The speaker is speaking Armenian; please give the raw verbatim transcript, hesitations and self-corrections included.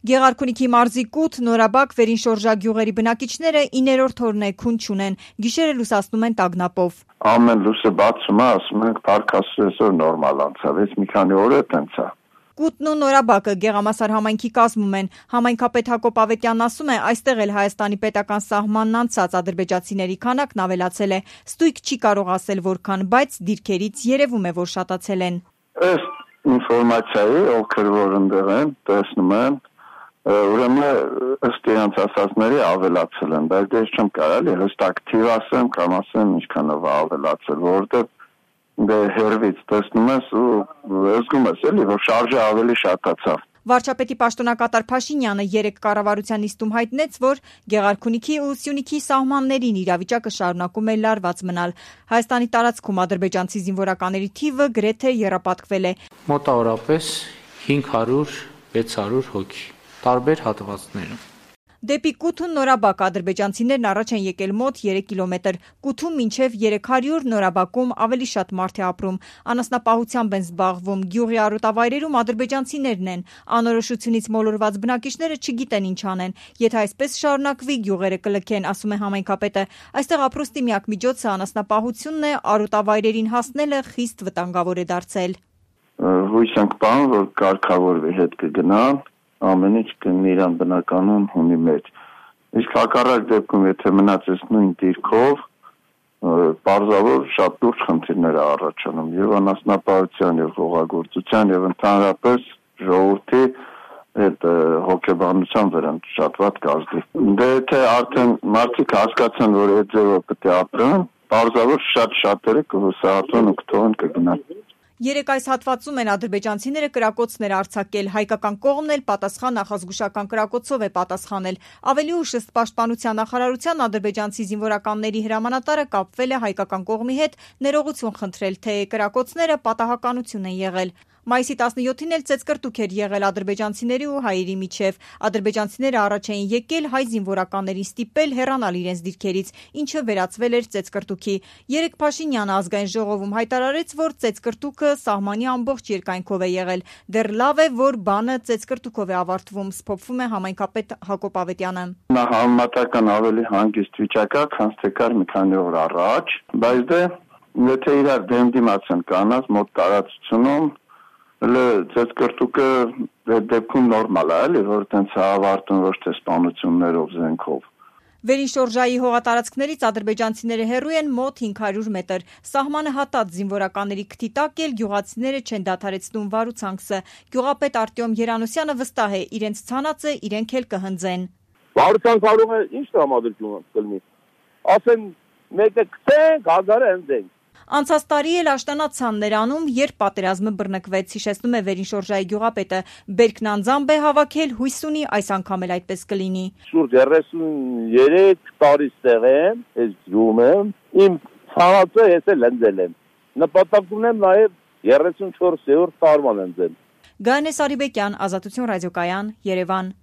Գեղարքունիքի մարզի Կութ, Նորաբակ, Վերինշորժա գյուղերի բնակիչները իներորդ օրն է քուն չունեն, գիշերը լուսացնում են տագնապով։ Ամեն լույսը բացում է, ասում ենք փառքաստու նորմալ անցավ, ես մի քանի օր է տենց է։ Կութն ու Նորաբակը Գեղամասար համայնքի կազմում են։ Համայնքապետ Հակոբ Ավետյանն ասում է, այստեղ էլ Հայաստանի պետական սահմանն անցած ադրբեջանցիների քանակն ավելացել է։ Ստույգ չի կարող ասել որքան, բայց դիրքերից երևում է, որ շատացել են։ Ըստ ինֆորմացիայի, ովքեր որ ընդեղ են, տեսնում են, ուրեմն ըստ իրենց ասածների ավելացել են, բայց ես չեմ կարելի հստակ թիվ ասեմ, կամ ասեմ ինչքանով ավելացել, որովհետև դե հերվից տեսնում ես ու զգում ես էլի, որ շարժը ավելի շատացավ։ Վարչապետի պաշտոնակատար Փաշինյանը երեկ կառավարության նիստում հայտնեց, որ Գեղարքունիքի ու Սյունիքի սահմաններին իրավիճակը շարունակում է լարված մնալ։ Հայաստանի տարածքում ադրբեջանցի զինվորականների թիվը գրեթե եռապատկվել է։ Մոտավորապես հինգ հարյուր վեց հարյուր հոգի, տարբեր հատվածներում։ Դեպի Կութուն Նորաբակ ադրբեջանցիներն առաջ են եկել մոտ երեք կիլոմետր, Կութում մինչև երեք հարյուր, Նորաբակում ավելի շատ մարդ է ապրում, անասնապահությամբ են զբաղվում, գյուղի արոտավայրերում ադրբեջանցիներն են, անորոշությունից մոլորված բնակիչները չգիտեն ինչ անեն, եթե այսպես շարունակվի գյուղերը կլքեն, ասում է համայնքապետը, այստեղ ապրուստի միակ միջոցը անասնապահությունն է, արոտավայրերին հասնելը խիստ վտանգավոր է դարձել։ Հույս ենք բան, որ կարգավորվի հետ կգնան, ամեն ինչ կնի իրան բնականon հունի մեջ։ Իսկ հակառակ դեպքում, եթե մնացես նույն դիրքով, պարզավոր շատ լուրջ խնդիրներ է առաջանում եւ անասնապահության եւ հողագործության եւ ընդհանրապես ժողովրդի այդ հոգեբանության վրա շատ վատ կազդի։ Դե եթե արդեն մարդիկ հասկացան, որ այդ ձևով պետք է ապրեն, պարզավոր շատ շատերը կհուսահատվեն ու կթողեն կգնան։ Երեք այս հատվածում են ադրբեջանցիները կրակոցներ արձակել, հայկական կողմն էլ պատասխան նախազգուշական կրակոցով է պատասխանել։ Ավելի ուշ ըստ Պաշտպանության նախարարության ադրբեջանցի զինվորականների հրամանատարը կապվել է հայկական կողմի հետ ներողություն խնդրել, թե կրակոցները պատահականություն են եղել։ Մայիսի տասնյոթին էլ ծեծկռտուք էր եղել ադրբեջանցիների ու հայերի միջև։ Ադրբեջանցիները առաջ էին եկել հայ զինվորականներին ստիպել հեռանալ իրենց դիրքերից, ինչը վերածվել էր ծեծկռտուքի։ Երեկ Փաշինյանը ազգային ժողովում հայտարարեց, որ ծեծկռտուքը սահմանի ամբողջ երկայնքով է եղել։ Դեռ լավ է, որ բանը ծեծկռտուքով է ավարտվում, սփոփվում է համայնքապետ Հակոբ Ավետյանը։ Նա համեմատական ավելի հանգիստ վիճակ է, քան թե կար մի քանի օր առաջ, բայց դե եթե իրար դեմ դիմաց են կանած մոտ տարածությունում Հələ ծեծկռտուքը դեպքում նորմալ է, էլի, որ տենց ավարտում ոչ թե սպանություններով, զենքով։ Վերինշորժայի հողատարածքներից ադրբեջանցիները հեռու են մոտ հինգ հարյուր մետր։ Սահմանը հատած զինվորականների քթի տակ էլ գյուղացիները չեն դադարեցնում վարուցանքսը։ Գյուղապետ Արտյոմ Երանոսյանը վստահ է, իրենց ցանածը իրենք էլ կհնձեն։ Վարուցանք արում է ինչ տրամադրություն կլինի։ Ասեն մեկը գցենք, հազարը հնձենք։ Անցած տարի էլ աշտանացան ներանում, երբ պատերազմը բռնկվեց, հիշեցնում է Վերինշորժայի գյուղապետը։ Բերքն անձամբ է հավաքել, հույս ունի այս անգամ էլ այդպես կլինի։ Շուրջ երեսուններեք տարի ստեղ եմ, ես գյուղում եմ, իմ ցանածը ես էլ հնձել եմ։ Նպատակ ունեմ նաև երեսունչորսերորդ տարման հնձել։ Գայանե Սարիբեկյան, Ազատություն ռադիոկայան, Երևան։